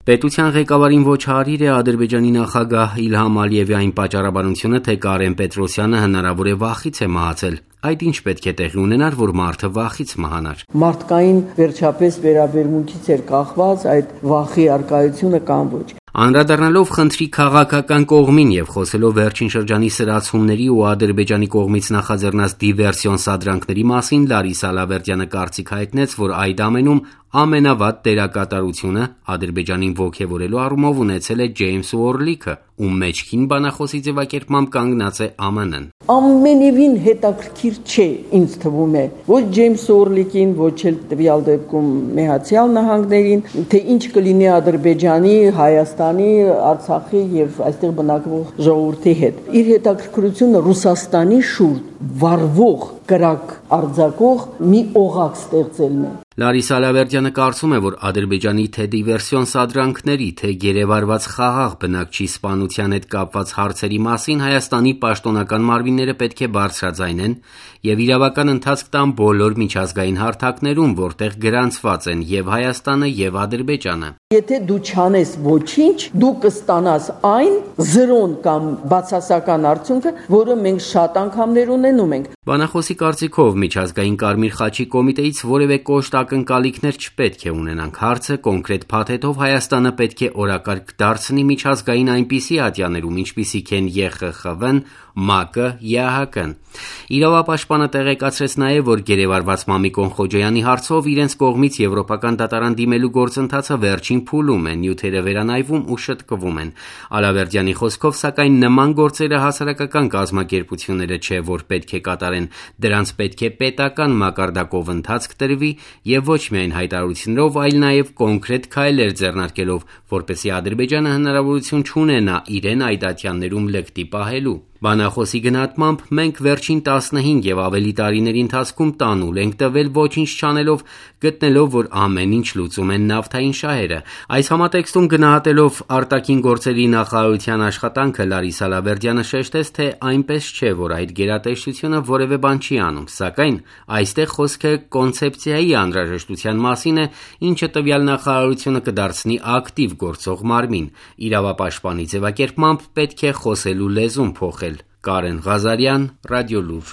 Պետության ղեկավարին ոչ հարիր է Ադրբեջանի նախագահ Իլհամ Ալիևի այն պատճառաբանությունը, թե Կարեն Պետրոսյանը հնարավոր է վախից է մահացել։ Այդ ինչ պետք է տեղի ունենար, որ մարդը վախից մահանար։ Մարդկային վերջապես վերաբերմունքից էր կախված այդ վախի առկայությունը կամ ոչ։ Անդրադառնալով խնդրի քաղաքական կողմին եւ խոսելով վերջին շրջանի սրացումների ու Ադրբեջանի կողմից նախաձեռնած դիվերսիոն սադրանքների մասին, Լարիսա Լավերդյանը կարծիք հայտնեց, որ այդ ամենում ամենավատ դերակատարությունը Ադրբեջանին ոգևորելու առումով ունեցել է Ջեյմս Ուորլիքը, ում մեջքին բանախոսի ձևակերպմամբ կանգնած է ԱՄՆ-ն։ Ամենևին հետաքրքիր չէ, ինձ թվում է, ոչ Ջեյմս Ուորլիկին, ոչ էլ տվյալ դեպքում Միացյալ Նահանգներին, թե ինչ կլինի Ադրբեջանի, Հայաստանի, Արցախի եւ այստեղ բնակվող ժողովրդի հետ։ Իր հետաքրքրությունը Ռուսաստանի շուրջ վառվող կրակ արձակող մի օղակ ստեղծելն է։ Լարիսա Լավերդյանը կարծում է, որ Ադրբեջանի թե դիվերսիոն սադրանքների, թե գերեվարված խաղաղ բնակչի սպանության հետ կապված հարցերի մասին Հայաստանի պաշտոնական մարմինները պետք է բարձրաձայնեն եւ իրավական ընթացք տան բոլոր միջազգային հարթակներում, որտեղ գրանցված են եւ Հայաստանը եւ Ադրբեջանը։ Եթե դու չանես ոչինչ, դու կստանաս այն զրոն կամ բացասական արդյունքը, որը մենք շատ անգամներ ունենում ենք։ Բանախոսի կարծիքով միջազգային Կարմիր խաչի կոմիտեից որևէ կոշտ ակնկալիքներ չպետք է ունենանք։ Հարցը կոնկրետ փաթեթով Հայաստանը պետք է օրակարգ դարձնի միջազգային այնպիսի ատյաներում, ինչպիսիք են ԵԽԽՎ-ն, ՄԱԿ-ը, ԵԱՀԿ-ն։ Իրավապաշտպանը տեղեկացրեց նաև, որ գերեվարված Մամիկոն Խոջոյանի հարցով իրենց կողմից եվրոպական դատարան դիմելու գործընթացը վերջին փուլում է, նյութերը վերանայվում ու շտկվում են։ Ալավերդյանի խոսքով, սակայն նման գործերը հասարակական կազմակերպությունները չէ, որ պետք է կատարեն, դրանց պետք է պետական մակարդակով ընթացք տրվի եւ ոչ միայն հայտարարություններով, այլ նաեւ կոնկրետ քայլեր ձեռնարկելով, որպեսզի Ադրբեջանը հնարավորություն չունենա իրեն այդ ատյաններում լկտի պահելու։ Բանախոսի գնահատմամբ մենք վերջին 15 եւ ավելի տարիների ընթացքում տանուլ ենք տվել ոչինչ չանելով, գտնելով, որ ամեն ինչ լուծում են նավթային շահերը։ Այս համատեքստում գնահատելով արտաքին գործերի նախարարության աշխատանքը Լարիսա Լավերդյանը շեշտեց, թե այնպես չէ, որ այդ գերատեսչությունը որևէ բան չի անում, սակայն այստեղ խոսքը կոնցեպցիայի անհրաժեշտության մասին է, ինչը տվյալ նախարարությունը կդարձնի ակտիվ գործող մարմին։ Իրավապաշտպանի ձևակերպմամբ պետք է խոսելու լեզուն փոխել։ Կարեն Ղազարյան, Ռադիոլուր։